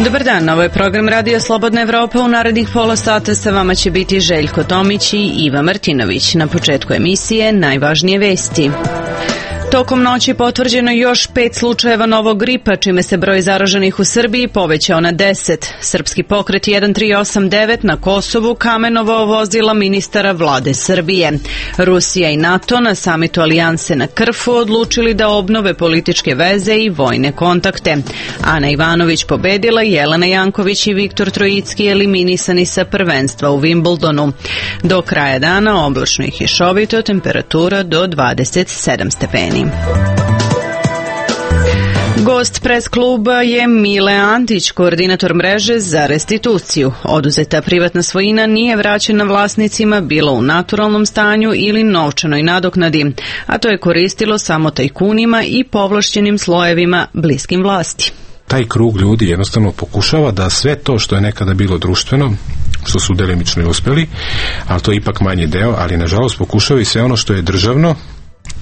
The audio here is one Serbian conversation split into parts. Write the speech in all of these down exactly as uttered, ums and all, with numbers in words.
Dobar dan, ovo je program Radio Slobodna Evropa. U narednih pola sata sa vama će biti Željko Tomić i Iva Martinović. Na početku emisije najvažnije vesti. Tokom noći potvrđeno još pet slučajeva novog gripa, čime se broj zaraženih u Srbiji povećao na deset. Srpski pokret jedan tri osam devet na Kosovu kamenovao vozila ministara vlade Srbije. Rusija i NATO na samitu Alijanse na Krfu odlučili da obnove političke veze i vojne kontakte. Ana Ivanović pobedila, Jelena Janković i Viktor Trojicki eliminisani sa prvenstva u Wimbledonu. Do kraja dana oblačno i kišovito, temperatura do dvadeset sedam stepeni. Gost pres kluba je Mile Antić, koordinator mreže za restituciju. Oduzeta privatna svojina nije vraćena vlasnicima bilo u naturalnom stanju ili novčanoj nadoknadi, a to je koristilo samo tajkunima i povlašćenim slojevima bliskim vlasti. Taj krug ljudi jednostavno pokušava da sve to što je nekada bilo društveno, što su delimično i uspeli, ali to je ipak manji deo, ali nažalost pokušava i sve ono što je državno,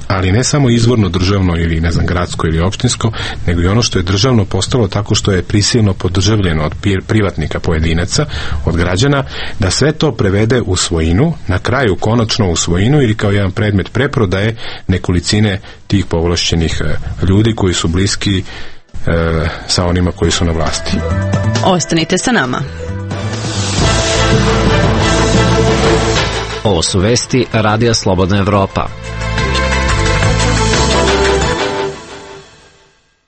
ali ne samo izvorno državno ili ne znam gradsko ili opštinsko, nego i ono što je državno postalo tako što je prisilno podržavljeno od privatnika, pojedinaca, od građana, da sve to prevede u svojinu, na kraju konačno u svojinu ili kao jedan predmet preprodaje nekolicine tih povlašćenih ljudi koji su bliski e, sa onima koji su na vlasti. Ostanite sa nama. Ovo su vesti Radija Slobodna Evropa.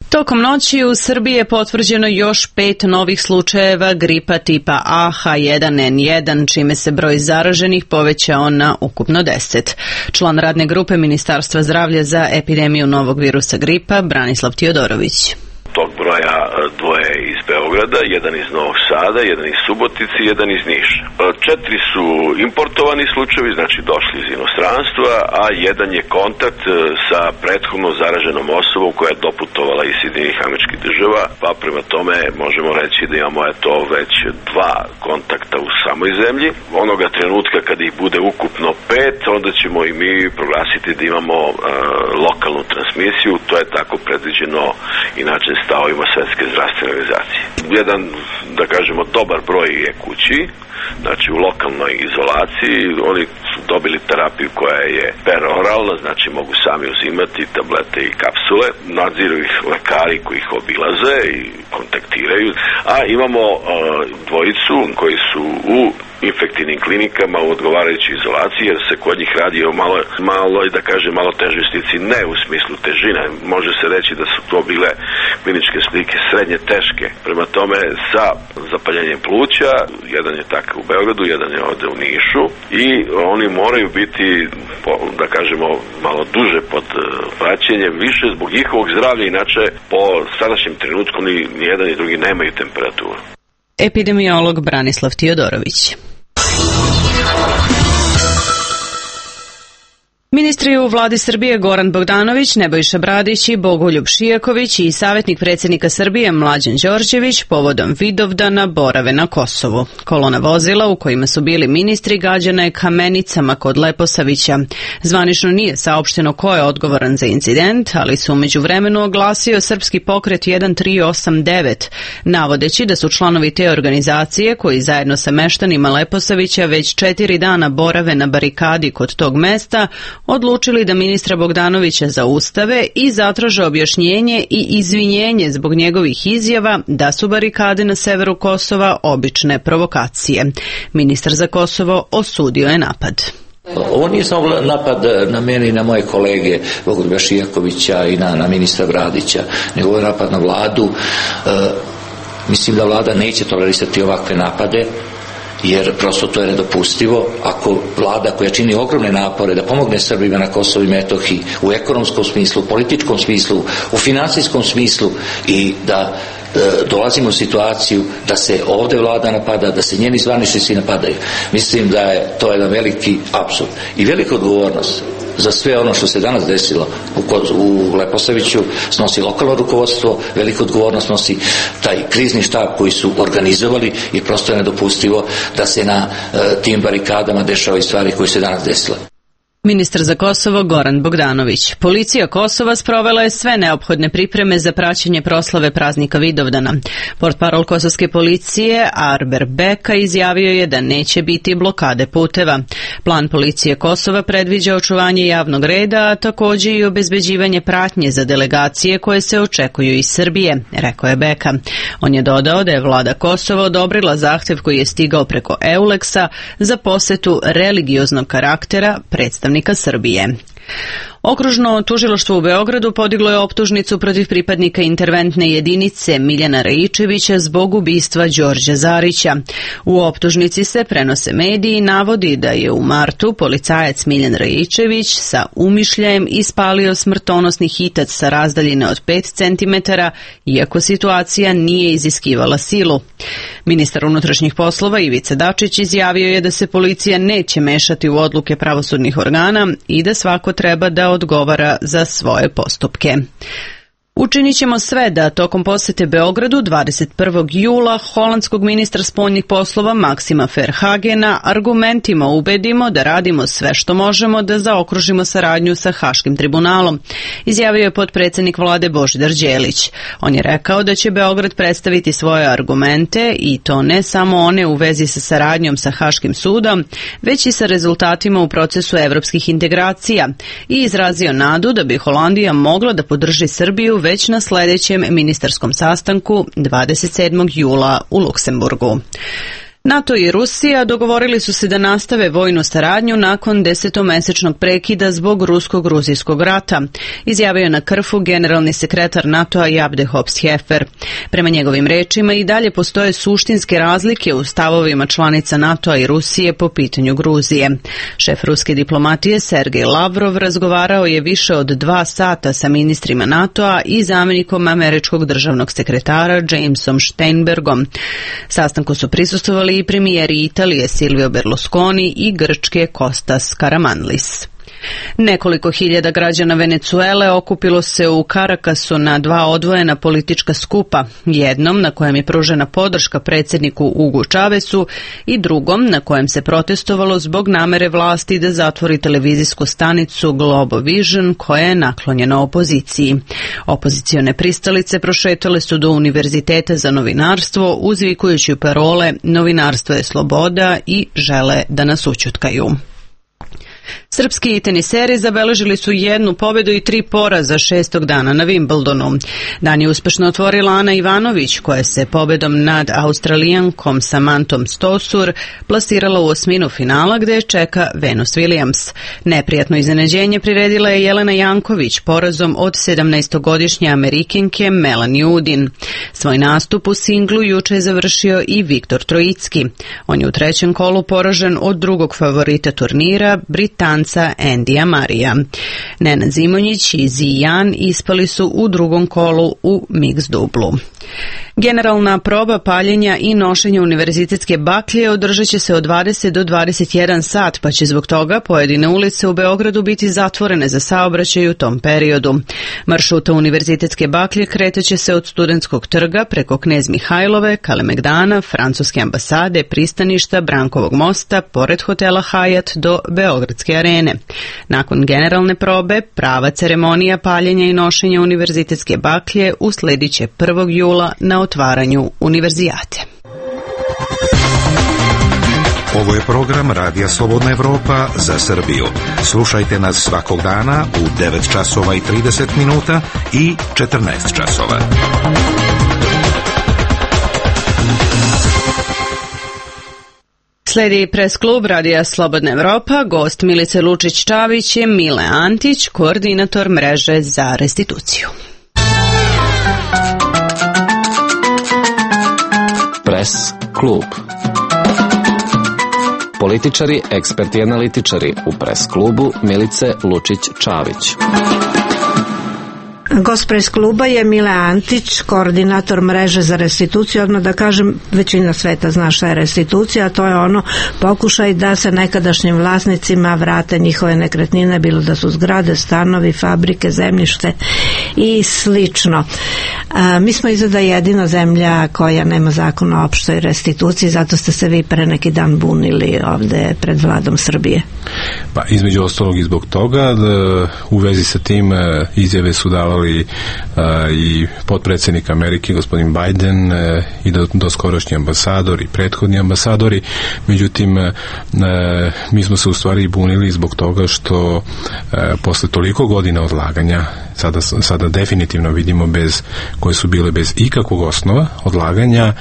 Tokom noći u Srbiji je potvrđeno još pet novih slučajeva gripa tipa A H jedan N jedan, čime se broj zaraženih povećao na ukupno deset. Član radne grupe Ministarstva zdravlja za epidemiju novog virusa gripa, Branislav Tiodorović. Tog broja dvoje iz Beograda, jedan iz Novog Sada, jedan iz Subotice, jedan iz Niša. Četiri su importovani slučajevi, znači došli iz inostranstva, a jedan je kontakt sa prethodno zaraženom osobom koja je doputovala iz Sjedinjenih Američkih Država, pa prema tome možemo reći da imamo eto već dva kontakta u samoj zemlji. Onoga trenutka kada ih bude ukupno pet, onda ćemo i mi proglasiti da imamo uh, lokalnu transmisiju, to je tako predviđeno inače stavovima Svetske zdravstvene organizacije. Jedan, da kažemo, dobar broj je kući, znači u lokalnoj izolaciji. Oni su dobili terapiju koja je peroralna, znači mogu sami uzimati tablete i kapsule. Nadziru ih lekari koji ih obilaze i kontaktiraju. A imamo uh, dvojicu koji su u infektivnim klinikama u odgovarajućoj izolaciji, jer se kod njih radi o malo, malo i da kažem malo težoj slici, ne u smislu težine. Može se reći da su to bile kliničke slike srednje teške. Prema tome sa zapaljenjem pluća, jedan je takav u Beogradu, jedan je ovde u Nišu i oni moraju biti, da kažemo, malo duže pod praćenjem, više zbog njihovog zdravlja, inače po sadašnjem trenutku ni, ni jedan ni drugi nemaju temperaturu. Epidemiolog Branislav Tiodorović. Ministri u vladi Srbije Goran Bogdanović, Nebojša Bradić i Bogoljub Šijaković i savjetnik predsjednika Srbije Mlađan Đorđević povodom Vidovdana borave na Kosovu. Kolona vozila u kojima su bili ministri gađana je kamenicama kod Leposavića. Zvanično nije saopšteno ko je odgovoran za incident, ali su u međuvremenu oglasio Srpski pokret jedan tri osam devet, navodeći da su članovi te organizacije koji zajedno sa meštanima Leposavića već četiri dana borave na barikadi kod tog mesta odlučili da ministra Bogdanovića zaustave i zatraže objašnjenje i izvinjenje zbog njegovih izjava da su barikade na severu Kosova obične provokacije. Ministar za Kosovo osudio je napad. Ovo nije samo napad na mene i na moje kolege Bogoljuba Šijakovića i na, na ministra Bradića, nego je napad na vladu. E, mislim da vlada neće tolerisati ovakve napade, jer prosto to je nedopustivo. Ako vlada koja čini ogromne napore da pomogne Srbima na Kosovu i Metohiji u ekonomskom smislu, u političkom smislu, u financijskom smislu i da e, dolazimo u situaciju da se ovde vlada napada, da se njeni zvaničnici napadaju, mislim da je to jedan veliki apsurd i velika odgovornost za sve ono što se danas desilo u, u Leposaviću snosi lokalno rukovodstvo, veliku odgovornost nosi taj krizni štab koji su organizovali i prosto je nedopustivo da se na e, tim barikadama dešavaju stvari koje se danas desile. Ministar za Kosovo Goran Bogdanović. Policija Kosova sprovela je sve neophodne pripreme za praćenje proslave praznika Vidovdana. Portparol kosovske policije Arber Beka izjavio je da neće biti blokade puteva. Plan policije Kosova predviđa očuvanje javnog reda, a također i obezbeđivanje pratnje za delegacije koje se očekuju iz Srbije, rekao je Beka. On je dodao da je vlada Kosova odobrila zahtev koji je stigao preko Euleksa za posetu religioznog karaktera predstavnika Srbije. Okružno tužilaštvo u Beogradu podiglo je optužnicu protiv pripadnika interventne jedinice Miljana Rajičevića zbog ubistva Đorđa Zarića. U optužnici se, prenose mediji, navodi da je u martu policajac Miljan Rajičević sa umišljajem ispalio smrtonosni hitac sa razdaljine od pet centimetara, iako situacija nije iziskivala silu. Ministar unutrašnjih poslova Ivica Dačić izjavio je da se policija neće mešati u odluke pravosudnih organa i da svako treba da odgovara za svoje postupke. Učinit ćemo sve da tokom posete Beogradu dvadeset prvog jula holandskog ministra spoljnih poslova Maksima Verhagena argumentima ubedimo da radimo sve što možemo da zaokružimo saradnju sa Haškim tribunalom, izjavio je potpredsjednik vlade Božidar Đelić. On je rekao da će Beograd predstaviti svoje argumente i to ne samo one u vezi sa saradnjom sa Haškim sudom, već i sa rezultatima u procesu evropskih integracija i izrazio nadu da bi Holandija mogla da podrži Srbiju već na sljedećem ministarskom sastanku dvadeset sedmog jula u Luksemburgu. NATO i Rusija dogovorili su se da nastave vojnu saradnju nakon desetomesečnog prekida zbog rusko-gruzijskog rata, izjavio je na Krfu generalni sekretar NATO-a Jabde Hops-Hefer. Prema njegovim rečima i dalje postoje suštinske razlike u stavovima članica NATO-a i Rusije po pitanju Gruzije. Šef ruske diplomatije Sergej Lavrov razgovarao je više od dva sata sa ministrima NATO-a i zamjenikom američkog državnog sekretara Jamesom Steinbergom. Sastanku su prisustvovali i premijeri Italije Silvio Berlusconi i Grčke Kostas Karamanlis. Nekoliko hiljada građana Venecuele okupilo se u Karakasu na dva odvojena politička skupa, jednom na kojem je pružena podrška predsjedniku Hugu Chavezu i drugom na kojem se protestovalo zbog namere vlasti da zatvori televizijsku stanicu Globo Vision koja je naklonjena opoziciji. Opozicione pristalice prošetale su do Univerziteta za novinarstvo uzvikujući parole "Novinarstvo je sloboda" i "Žele da nas ućutkaju". Srpski teniseri zabeležili su jednu pobedu i tri poraza šestog dana na Wimbledonu. Dan je uspešno otvorila Ana Ivanović, koja se pobedom nad Australijankom Samanthom Stosur plasirala u osminu finala gde je čeka Venus Williams. Neprijatno iznenađenje priredila je Jelena Janković porazom od sedamnaestogodišnje Amerikinke Melanie Udin. Svoj nastup u singlu juče je završio i Viktor Trojicki. On je u trećem kolu poražen od drugog favorita turnira, Britanca Endija Marija. Nenad Zimonjić i Zijan ispali su u drugom kolu u mix dublu. Generalna proba paljenja i nošenja univerzitetske baklje održat će se od dvadeset do dvadeset jedan sat, pa će zbog toga pojedine ulice u Beogradu biti zatvorene za saobraćaj u tom periodu. Maršruta univerzitetske baklje kretaće se od Studentskog trga preko Knez Mihajlove, Kalemegdana, Francuske ambasade, pristaništa, Brankovog mosta, pored hotela Hajat do Beogradske arene. Nakon generalne probe, prava ceremonija paljenja i nošenja univerzitetske baklje usledit će prvog jula na otvaranju univerzijate. Ovo je program Radija Slobodna Evropa za Srbiju. Slušajte nas svakog dana u devet časova i trideset minuta i četrnaest časova. Sledi pres klub Radija Slobodna Evropa, gost Milice Lučić-Čavić je Mile Antić, koordinator mreže za restituciju. Pres klub. Političari, eksperti i analitičari u pres klubu Milice Lučić-Čavić. Gost pres kluba je Mile Antić, koordinator mreže za restituciju. Odmah da kažem, većina sveta zna šta je restitucija, a to je ono pokušaj da se nekadašnjim vlasnicima vrate njihove nekretnine, bilo da su zgrade, stanovi, fabrike, zemljište i slično. A, mi smo izgleda jedina zemlja koja nema zakon o opštoj restituciji, zato ste se vi pre neki dan bunili ovde pred vladom Srbije. Pa između ostalog i zbog toga da, u vezi sa tim izjave su davali a, i potpredsjednik Amerike gospodin Biden a, i do, doskorašnji ambasador i prethodni ambasadori. Međutim a, mi smo se u stvari bunili zbog toga što a, posle toliko godina odlaganja sada, sada definitivno vidimo bez, koje su bile bez ikakvog osnova odlaganja,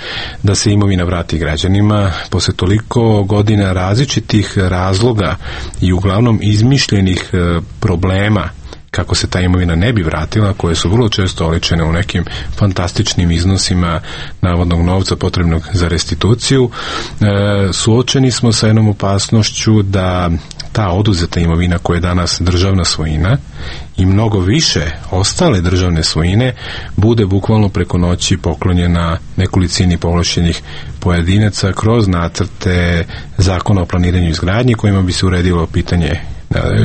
da se imovina vrati građanima posle toliko godina različitih razloga i uglavnom izmišljenih e, problema kako se ta imovina ne bi vratila, koje su vrlo često oličene u nekim fantastičnim iznosima navodnog novca potrebnog za restituciju. E, suočeni smo sa jednom opasnošću da ta oduzeta imovina koja je danas državna svojina i mnogo više ostale državne svojine bude bukvalno preko noći poklonjena nekolicini povlašćenih pojedinaca kroz nacrte zakona o planiranju i izgradnji kojima bi se uredilo pitanje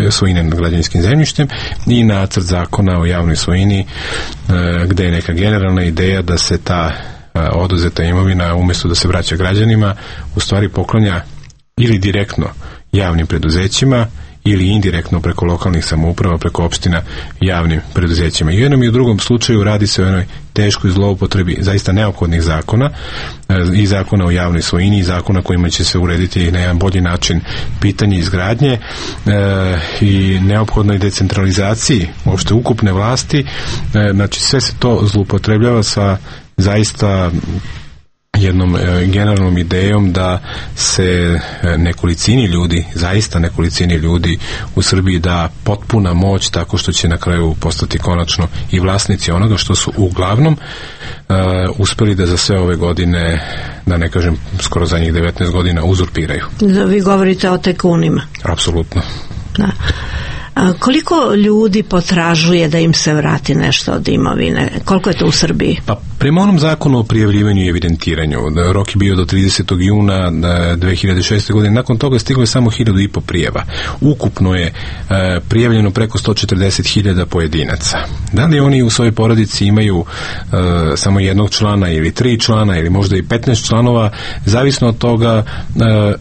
svojine nad građevinskim zemljištem i nacrt zakona o javnoj svojini gde je neka generalna ideja da se ta oduzeta imovina umjesto da se vraća građanima u stvari poklanja ili direktno javnim preduzećima ili indirektno preko lokalnih samouprava, preko opština javnim preduzećima. I u jednom i u drugom slučaju radi se o jednoj teškoj zloupotrebi zaista neophodnih zakona i zakona o javnoj svojini i zakona kojima će se urediti na jedan bolji način pitanje izgradnje e, i neophodnoj decentralizaciji uopšte ukupne vlasti. E, znači sve se to zloupotrebljava sa zaista jednom e, generalnom idejom da se nekolicini ljudi, zaista nekolicini ljudi u Srbiji da potpuna moć tako što će na kraju postati konačno i vlasnici onoga što su uglavnom e, uspeli da za sve ove godine, da ne kažem skoro za njih devetnaest godina, uzurpiraju. Da, vi govorite o tajkunima. Apsolutno. Da. A koliko ljudi potražuje da im se vrati nešto od imovine? Koliko je to u Srbiji? Pa prema onom zakonu o prijavljivanju i evidentiranju, rok je bio do tridesetog juna dve hiljade šeste. godine, nakon toga stiglo je samo hiljadu i po prijava. Ukupno je e, prijavljeno preko sto četrdeset hiljada pojedinaca. Da li oni u svojoj porodici imaju e, samo jednog člana ili tri člana ili možda i petnaest članova, zavisno od toga e,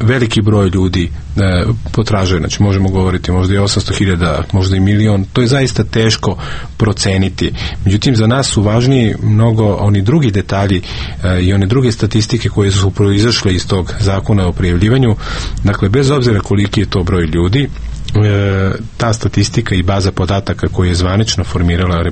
veliki broj ljudi e, potražuje, znači možemo govoriti možda i osamsto hiljada, možda i milion, to je zaista teško proceniti. Međutim, za nas su važniji mnogo oni drugi detalji e, i one druge statistike koje su proizašle iz tog zakona o prijavljivanju. Dakle, bez obzira koliki je to broj ljudi, E, ta statistika i baza podataka koju je zvanično formirala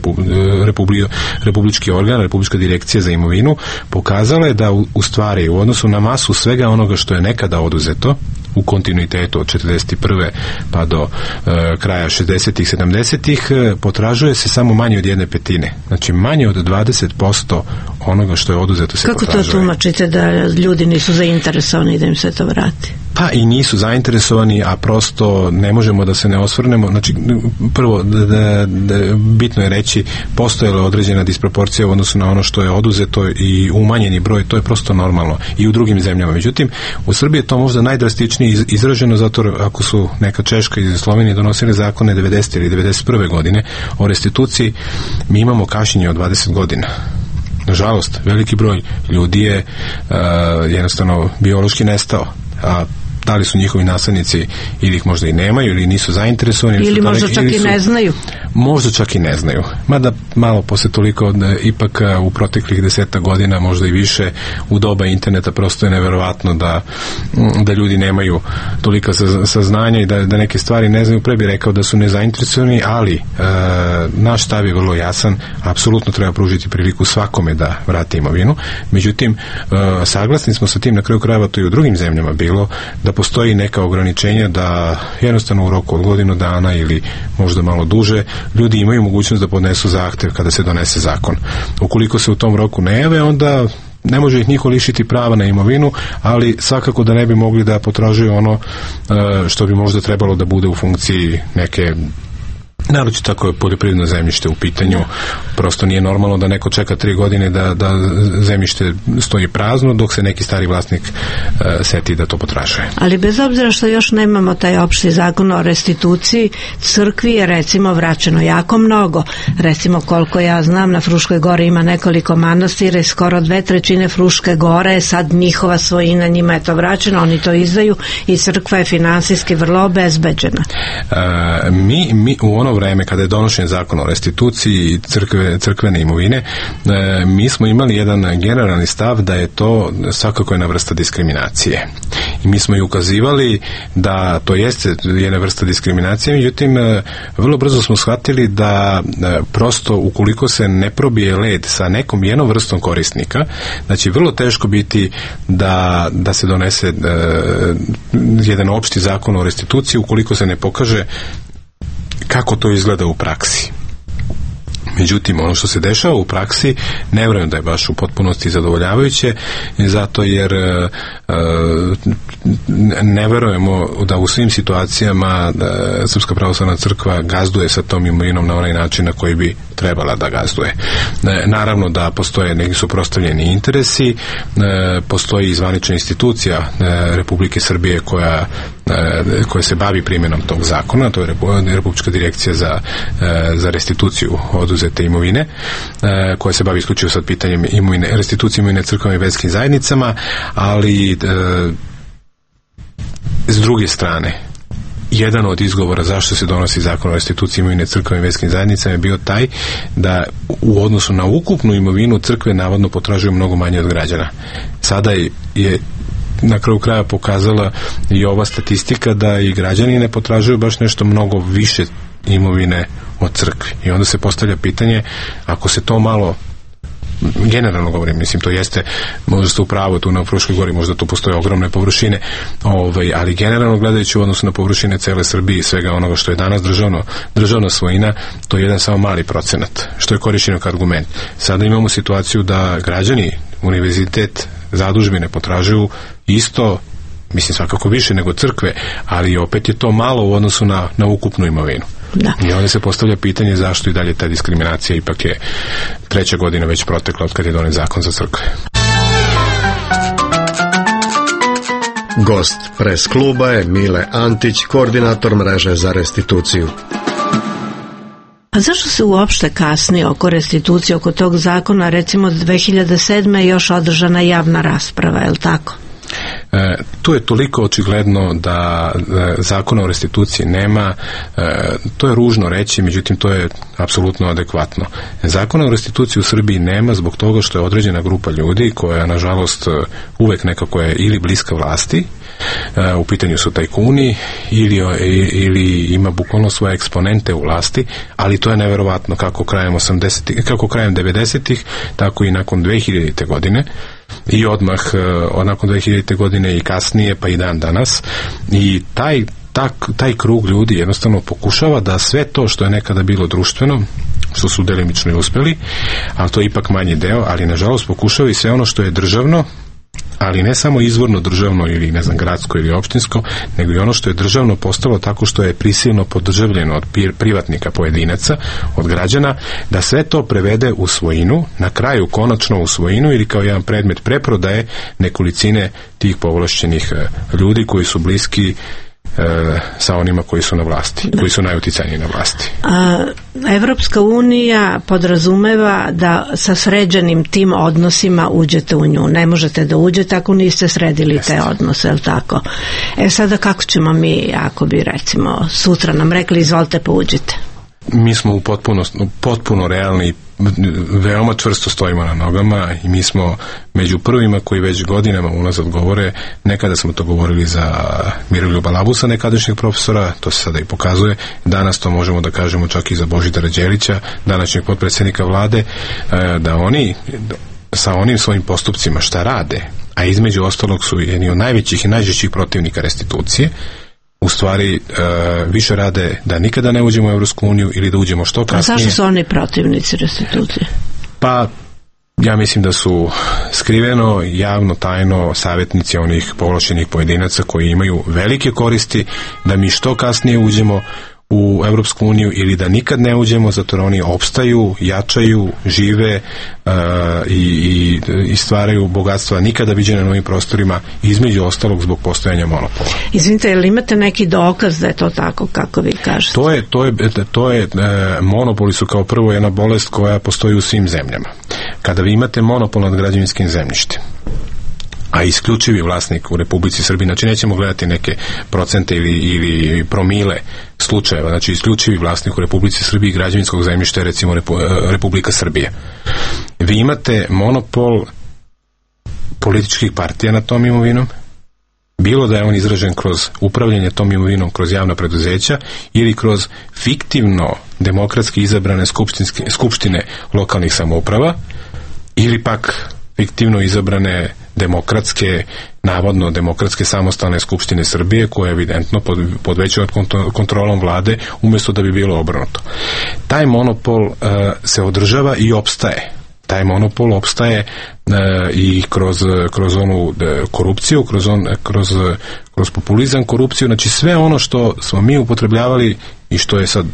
Republi, republički organ, Republička direkcija za imovinu, pokazala je da u, u stvari u odnosu na masu svega onoga što je nekada oduzeto u kontinuitetu od četrdeset prve pa do e, kraja šezdesetih, sedamdesetih e, potražuje se samo manje od jedne petine. Znači manje od dvadeset posto onoga što je oduzeto se Kako potražuje. Kako to tumačite da ljudi nisu zainteresovani da im se to vrati? Pa i nisu zainteresovani, a prosto ne možemo da se ne osvrnemo. Znači, prvo, da, da, da, bitno je reći, postojala određena disproporcija u odnosu na ono što je oduzeto i umanjeni broj, to je prosto normalno i u drugim zemljama. Međutim, u Srbiji je to možda najdrastičnije izraženo, zato ako su neka Češka i Slovenija donosili zakone devedesete ili devedeset prve godine o restituciji, mi imamo kašnjenje od dvadeset godina. Nažalost, veliki broj ljudi je uh, jednostavno biološki nestao, a da li su njihovi naslednici ili ih možda i nemaju ili nisu zainteresovani ili, ili možda daleki, čak ili su, i ne znaju možda čak i ne znaju, mada malo posle toliko da, ipak u proteklih deseta godina, možda i više, u doba interneta prosto je neverovatno da, da ljudi nemaju tolika saznanja i da, da neke stvari ne znaju. Pre bi rekao da su nezainteresovani, ali e, naš stav je vrlo jasan, apsolutno treba pružiti priliku svakome da vrati imovinu. Međutim, e, saglasni smo sa tim, na kraju krajeva to i u drugim zemljama bilo, da postoji neka ograničenja da jednostavno u roku od godinu dana ili možda malo duže ljudi imaju mogućnost da podnesu zahtev kada se donese zakon. Ukoliko se u tom roku ne jave, onda ne može ih niko lišiti prava na imovinu, ali svakako da ne bi mogli da potražuju ono što bi možda trebalo da bude u funkciji neke Naročito tako je poljoprivredno zemljište u pitanju. Prosto nije normalno da neko čeka tri godine da, da zemljište stoji prazno dok se neki stari vlasnik uh, seti da to potražuje. Ali bez obzira što još nemamo taj opšti zakon o restituciji, crkvi je recimo vraćeno jako mnogo. Recimo koliko ja znam, na Fruškoj gori ima nekoliko manastira i skoro dve trećine Fruške gore je sad njihova svojina, njima je to vraćeno, oni to izdaju i crkva je finansijski vrlo obezbeđena. Uh, mi, mi u ono vreme kada je donošen zakon o restituciji crkve, crkvene imovine, e, mi smo imali jedan generalni stav da je to svakako jedna vrsta diskriminacije. I mi smo i ukazivali da to jeste jedna vrsta diskriminacije, međutim, e, vrlo brzo smo shvatili da e, prosto ukoliko se ne probije led sa nekom jednom vrstom korisnika, da će vrlo teško biti da, da se donese e, jedan opšti zakon o restituciji ukoliko se ne pokaže kako to izgleda u praksi. Međutim, ono što se dešava u praksi ne vjerujem da je baš u potpunosti zadovoljavajuće, zato jer e, ne vjerujemo da u svim situacijama da Srpska pravoslavna crkva gazduje sa tom imovinom na onaj način na koji bi trebala da gazduje. E, naravno da postoje neki suprotstavljeni interesi, e, postoji zvanična institucija e, Republike Srbije koja koja se bavi primjenom tog zakona, to je Republička direkcija za, za restituciju oduzete imovine, koja se bavi isključivo sad pitanjem imovine, restitucije imovine crkvenim i verskim zajednicama, ali s druge strane, jedan od izgovora zašto se donosi zakon o restituciji imovine crkvenim i verskim zajednicama je bio taj da u odnosu na ukupnu imovinu crkve navodno potražuju mnogo manje od građana. Sada je, je na kraju kraja pokazala i ova statistika da i građani ne potražuju baš nešto mnogo više imovine od crkvi. I onda se postavlja pitanje, ako se to malo, generalno govorim, mislim, to jeste, možda ste u pravu, tu na Fruškoj gori možda tu postoje ogromne površine, ovaj, ali generalno gledajući u odnosu na površine cele Srbije i svega onoga što je danas državno, državna svojina, to je jedan samo mali procenat, što je korišćeno kao argument. Sada imamo situaciju da građani, univerzitet, zadužbine potražuju isto, mislim svakako više nego crkve, ali opet je to malo u odnosu na, na ukupnu imovinu. Da. I onda se postavlja pitanje zašto i dalje ta diskriminacija, ipak je treća godina već protekla od kad je donet zakon za crkve. Gost pres kluba je Mile Antić, koordinator mreže za restituciju. A zašto se uopšte kasni oko restitucije, oko tog zakona? Recimo dve hiljade sedme je još održana javna rasprava, je li tako? E, tu je toliko očigledno da e, zakona o restituciji nema, e, to je ružno reći, međutim to je apsolutno adekvatno. Zakona o restituciji u Srbiji nema zbog toga što je određena grupa ljudi koja nažalost uvek nekako je ili bliska vlasti, e, u pitanju su tajkuni ili, ili ima bukvalno svoje eksponente u vlasti, ali to je neverovatno kako krajem osamdesetih, kako krajem devedesetih, tako i nakon dve hiljadite godine i odmah od nakon dve hiljadite godine i kasnije pa i dan danas, i taj, tak, taj krug ljudi jednostavno pokušava da sve to što je nekada bilo društveno, što su delimično i uspeli, ali to je ipak manji deo, ali nažalost pokušava i sve ono što je državno, ali ne samo izvorno državno ili ne znam gradsko ili opštinsko, nego i ono što je državno postalo tako što je prisilno podržavljeno od privatnika, pojedinaca, od građana, da sve to prevede u svojinu, na kraju konačno u svojinu ili kao jedan predmet preprodaje nekolicine tih povlašćenih ljudi koji su bliski E, sa onima koji su na vlasti, koji su najuticajniji na vlasti. A, Evropska unija podrazumeva da sa sređenim tim odnosima uđete u nju. Ne možete da uđete ako niste sredili Jeste. te odnose, je li tako? E sada kako ćemo mi, ako bi recimo sutra nam rekli izvolite pa uđite? Mi smo u potpuno, potpuno realni, veoma čvrsto stojimo na nogama i mi smo među prvima koji već godinama unazad govore, nekada smo to govorili za Miroljuba Labusa, nekadašnjeg profesora, to se sada i pokazuje, danas to možemo da kažemo čak i za Božidara Đelića, današnjeg potpredsjednika vlade, da oni sa onim svojim postupcima šta rade, a između ostalog su jedni od najvećih i najžešćih protivnika restitucije, u stvari e, više rade da nikada ne uđemo u Evropsku uniju ili da uđemo što kasnije. A zašto su oni protivnici restitucije? Pa ja mislim da su skriveno, javno, tajno savjetnici onih povlašćenih pojedinaca koji imaju velike koristi da mi što kasnije uđemo u Evropsku uniju ili da nikad ne uđemo, zato jer oni opstaju, jačaju, žive uh, i, i, i stvaraju bogatstva nikada viđene na novim prostorima, između ostalog zbog postojanja monopola. Izvinite, jel imate neki dokaz da je to tako kako vi kažete? To je, to je, to je uh, monopoli su kao prvo jedna bolest koja postoji u svim zemljama. Kada vi imate monopol nad građevinskim zemljištem, a isključivi vlasnik u Republici Srbiji, znači nećemo gledati neke procente ili, ili promile slučajeva, znači isključivi vlasnik u Republici Srbiji građevinskog zemljišta je recimo Repu, Republika Srbija. Vi imate monopol političkih partija nad tom imovinom, bilo da je on izražen kroz upravljanje tom imovinom, kroz javna preduzeća ili kroz fiktivno demokratski izabrane skupštine lokalnih samouprava ili pak fiktivno izabrane demokratske, navodno demokratske samostalne skupštine Srbije, koja je evidentno pod, pod većom kontrolom vlade, umjesto da bi bilo obrnuto. Taj monopol uh, se održava i opstaje. Taj monopol opstaje uh, i kroz, kroz onu uh, korupciju, kroz, on, kroz, kroz populizam, korupciju, znači sve ono što smo mi upotrebljavali i što je sad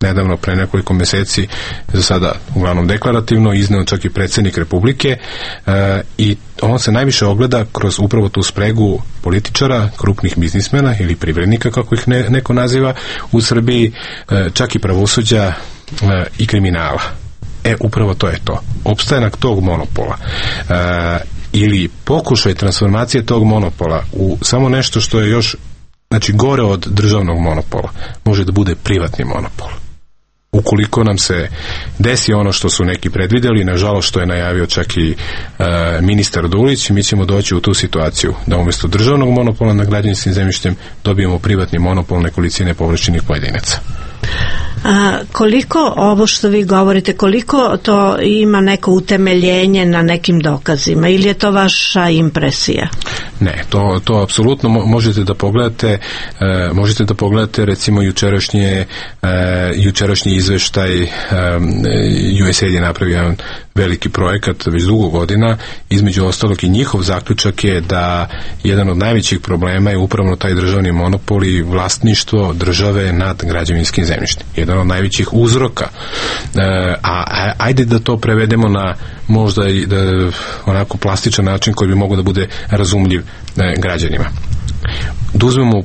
nedavno pre nekoliko mjeseci za sada uglavnom deklarativno izneo čak i predsjednik Republike e, i on se najviše ogleda kroz upravo tu spregu političara, krupnih biznismena ili privrednika kako ih ne, neko naziva u Srbiji, e, čak i pravosuđa e, i kriminala. E, upravo to je to. Opstanak tog monopola e, ili pokušaj transformacije tog monopola u samo nešto što je još, znači gore od državnog monopola, može da bude privatni monopol. Ukoliko nam se desi ono što su neki predvidjeli, nažalost što je najavio čak i e, ministar Dulić, mi ćemo doći u tu situaciju da umjesto državnog monopola na građevinskim zemljištem dobijemo privatni monopol nekolicine povlašćenih pojedinaca. A koliko ovo što vi govorite, koliko to ima neko utemeljenje na nekim dokazima ili je to vaša impresija? Ne, to, to apsolutno možete da pogledate, e, možete da pogledate recimo jučerašnje, e, jučerašnji izveštaj e, U S A I D je napravio jedan veliki projekat već dugo godina, između ostalog i njihov zaključak je da jedan od najvećih problema je upravo taj državni monopol i vlasništvo države nad građevinskim zemljištem. Jedan od najvećih uzroka. E, a ajde da to prevedemo na možda i da, onako plastičan način koji bi mogao da bude razumljiv e, građanima. Da uzmemo e,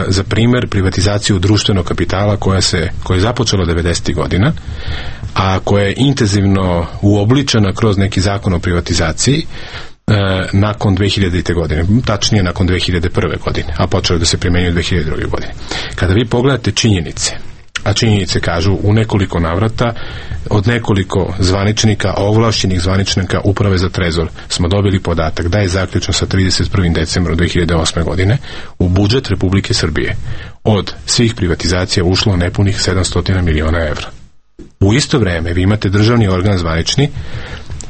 za primjer privatizaciju društvenog kapitala koja se koja je započela devedesetih godina, a koja je intenzivno uobličena kroz neki zakon o privatizaciji e, nakon dve hiljadite. godine, tačnije nakon dve hiljade prve. godine, a počelo da se primjenjuje dve hiljade druge. godine. Kada vi pogledate činjenice, a činjenice kažu u nekoliko navrata od nekoliko zvaničnika, ovlašćenih zvaničnika Uprave za trezor smo dobili podatak da je zaključno sa trideset prvim decembrom dve hiljade osme. godine u budžet Republike Srbije od svih privatizacija ušlo nepunih sedamsto miliona evra. U isto vrijeme vi imate državni organ zvanični,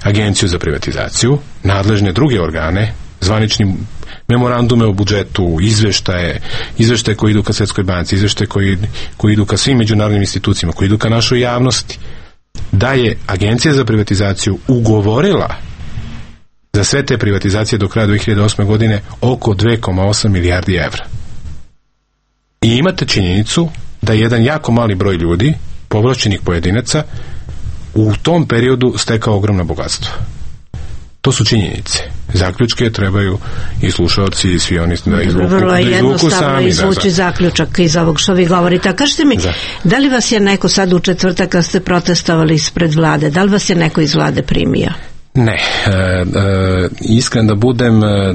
Agenciju za privatizaciju, nadležne druge organe, zvanični memorandume o budžetu, izveštaje, izveštaje koji idu ka Svjetskoj banci, izveštaje koji, koji idu ka svim međunarodnim institucijama, koji idu ka našoj javnosti, da je Agencija za privatizaciju ugovorila za sve te privatizacije do kraja dve hiljade osme. godine oko dve zarez osam milijardi evra. I imate činjenicu da je jedan jako mali broj ljudi, povlašćenih pojedinaca, u tom periodu stekao ogromno bogatstvo. To su činjenice. Zaključke trebaju i slušalci i svi oni da izvuku, vrlo je da izvuku jednostavno sami. izvući da, da. zaključak iz ovog što vi govorite. A kažete mi, da. da li vas je neko sad u četvrtak kad ste protestovali ispred vlade, da li vas je neko iz vlade primio? Ne, e, e, iskren da budem, e,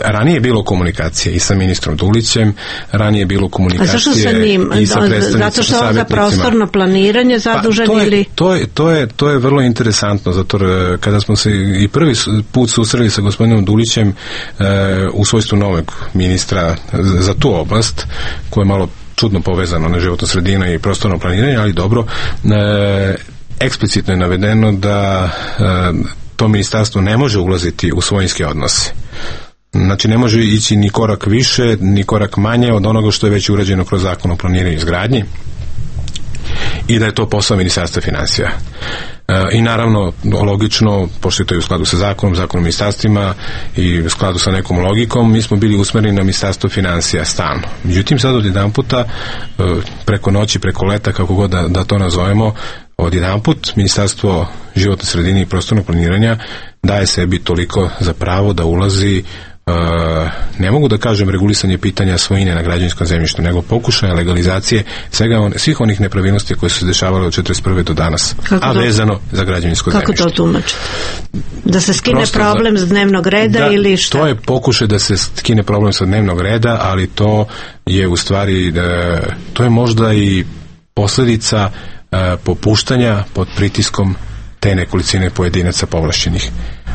ranije je bilo komunikacije i sa ministrom Dulićem, ranije je bilo komunikacije. A zašto sa njim? I sa predstavnicima, zato što on za prostorno planiranje zadužen pa, to je, ili? To je, to, je, to je vrlo interesantno, zato kada smo se i prvi put susreli sa gospodinom Dulićem e, u svojstvu novog ministra za tu oblast, koja je malo čudno povezano na životnu sredinu i prostorno planiranje, ali dobro, e, eksplicitno je navedeno da e, to ministarstvo ne može ulaziti u svojinske odnose. Znači ne može ići ni korak više, ni korak manje od onoga što je već urađeno kroz zakon o planiranju i izgradnji i da je to posao ministarstva finansija. E, I naravno, logično, pošto je to i u skladu sa zakonom, zakonom o ministarstvima i u skladu sa nekom logikom, mi smo bili usmereni na ministarstvo finansija stalno. Međutim, sad od jedan puta, preko noći, preko leta, kako god da, da to nazovemo, od jedan put Ministarstvo životne sredine i prostornog planiranja daje sebi toliko za pravo da ulazi, uh, ne mogu da kažem regulisanje pitanja svojine na građevinskom zemljištu, nego pokušaja legalizacije svega on, svih onih nepravilnosti koje su se dešavale od četrdeset prve do danas, kako a to, vezano za građevinsko kako zemljište. Kako to tumačite? Da se skine Prosto problem za, s dnevnog reda da, ili šta? To je pokušaj da se skine problem sa dnevnog reda, ali to je u stvari, da, to je možda i posljedica popuštanja pod pritiskom te nekolicine pojedinaca povlašćenih.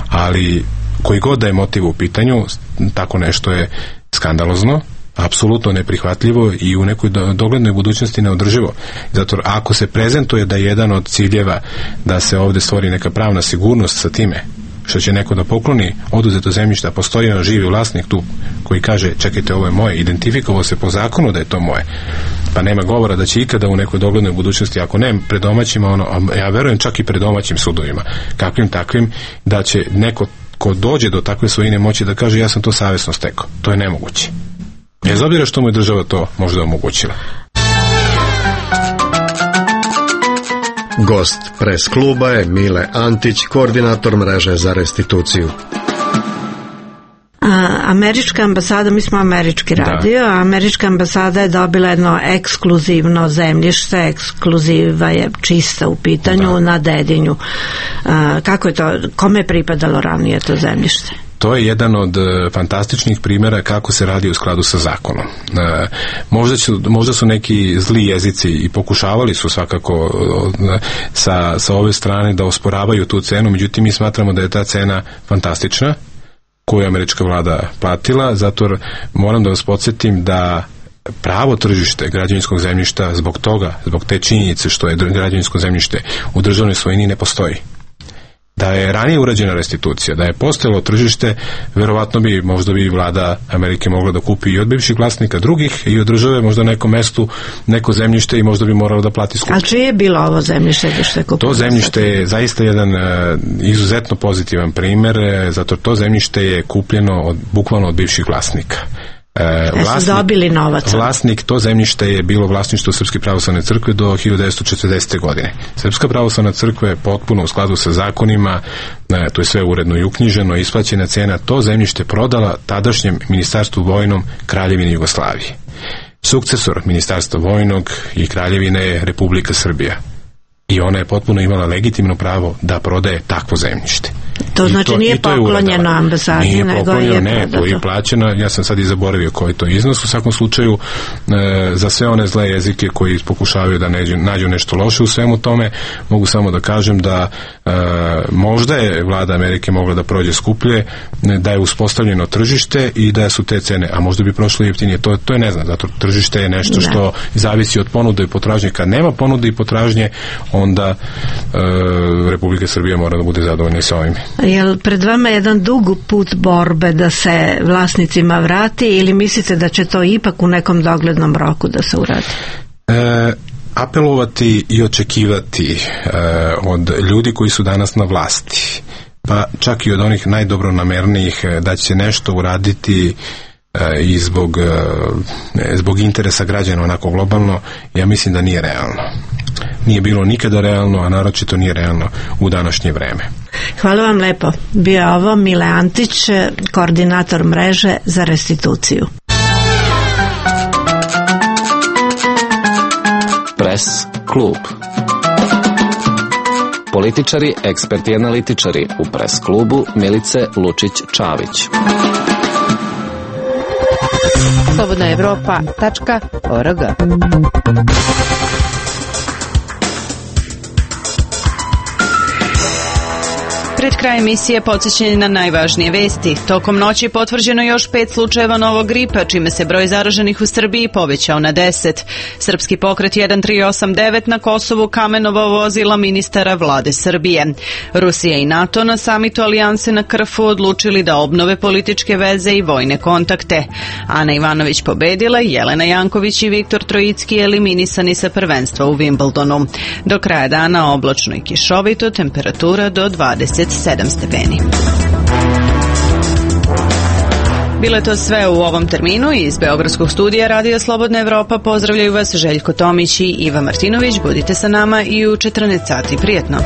Ali koji god da je motiv u pitanju, tako nešto je skandalozno, apsolutno neprihvatljivo i u nekoj doglednoj budućnosti neodrživo. Zato ako se prezentuje da je jedan od ciljeva da se ovde stvori neka pravna sigurnost sa time što će neko da pokloni oduzeto zemljište, a postoji jedan živi vlasnik tu koji kaže, čekajte, ovo je moje, identifikovao se po zakonu da je to moje, pa nema govora da će ikada u nekoj doglednoj budućnosti, ako ne pred domaćima, ono, ja verujem čak i pred domaćim sudovima, kakvim takvim, da će neko ko dođe do takve svojine moći da kaže, ja sam to savjesno stekao. To je nemoguće. Bez obzira što mu je država to možda omogućila. Gost Pres kluba je Mile Antić, koordinator mreže za restituciju. A, američka ambasada, mi smo američki radio, a američka ambasada je dobila jedno ekskluzivno zemljište, ekskluziva je čista u pitanju, da. Na Dedinju. A, kako je to, kome je pripadalo ranije to zemljište? To je jedan od uh, fantastičnih primjera kako se radi u skladu sa zakonom. Uh, možda, ću, možda su neki zli jezici i pokušavali su svakako uh, sa, sa ove strane da osporavaju tu cenu, međutim mi smatramo da je ta cena fantastična koju je američka vlada platila, zato moram da vas podsjetim da pravo tržište građevinskog zemljišta zbog toga, zbog te činjenice što je građevinsko zemljište u državnoj svojini ne postoji. Da je ranije urađena restitucija, da je postojalo tržište, verovatno bi, možda bi vlada Amerike mogla da kupi i od bivših vlasnika drugih i od države možda na nekom mestu neko zemljište i možda bi moralo da plati skup. A čije je bilo ovo zemljište? Što je to zemljište je zaista jedan uh, izuzetno pozitivan primer, zato to zemljište je kupljeno od, bukvalno od bivših vlasnika. E, vlasnik, dobili novac. Vlasnik, to zemljište je bilo vlasništvo Srpske pravoslavne crkve do hiljadu devetsto četrdesete. godine. Srpska pravoslavna crkva je potpuno u skladu sa zakonima, e, to je sve uredno i uknjiženo, isplaćena cena, to zemljište prodala tadašnjem ministarstvu vojnom Kraljevine Jugoslavije. Sukcesor ministarstva vojnog i Kraljevine je Republika Srbija. I ona je potpuno imala legitimno pravo da prodaje takvo zemljište. To I znači to, nije poklonjeno ambasadi, nije nego poklonjeno, je ne, to je plaćeno, ja sam sad i zaboravio koji je to iznos, u svakom slučaju e, za sve one zle jezike koji pokušavaju da neđu, nađu nešto loše u svemu tome, mogu samo da kažem da e, možda je vlada Amerike mogla da prođe skuplje, da je uspostavljeno tržište i da su te cene, a možda bi prošlo jeftinije, to, to je ne znam, zato tržište je nešto što ne. Zavisi od ponude i potražnje. Kad nema ponude i potražnje, onda e, Republika Srbija mora da bude zadovoljna sa ovim. Jel pred vama jedan dug put borbe da se vlasnicima vrati ili mislite da će to ipak u nekom doglednom roku da se uradi? E, apelovati i očekivati e, od ljudi koji su danas na vlasti, pa čak i od onih najdobronamernijih da će nešto uraditi e, i zbog, e, zbog interesa građana onako globalno, ja mislim da nije realno. Nije bilo nikada realno, a naročito nije realno u današnje vreme. Hvala vam lepo. Bio je ovo Mile Antić, koordinator mreže za restituciju. Pres klub. Političari, eksperti i analitičari u Pres klubu Milice Lučić-Čavić. slobodna evropa tačka org. Pred kraj emisije podsjećanje na najvažnije vesti. Tokom noći potvrđeno još pet slučajeva novog gripa, čime se broj zaraženih u Srbiji povećao na deset. Srpski pokret jedan tri osam devet na Kosovu kamenovao vozila ministara vlade Srbije. Rusija i NATO na samitu Alijanse na Krfu odlučili da obnove političke veze i vojne kontakte. Ana Ivanović pobedila, Jelena Janković i Viktor Trojicki eliminisani sa prvenstva u Wimbledonu. Do kraja dana oblačno i kišovito, temperatura do dvadeset sedam stepeni. Bilo je to sve u ovom terminu. Iz Beogradskog studija Radija Slobodna Evropa pozdravljaju vas Željko Tomić i Iva Martinović. Budite sa nama i u četrnaest sati. Prijetno.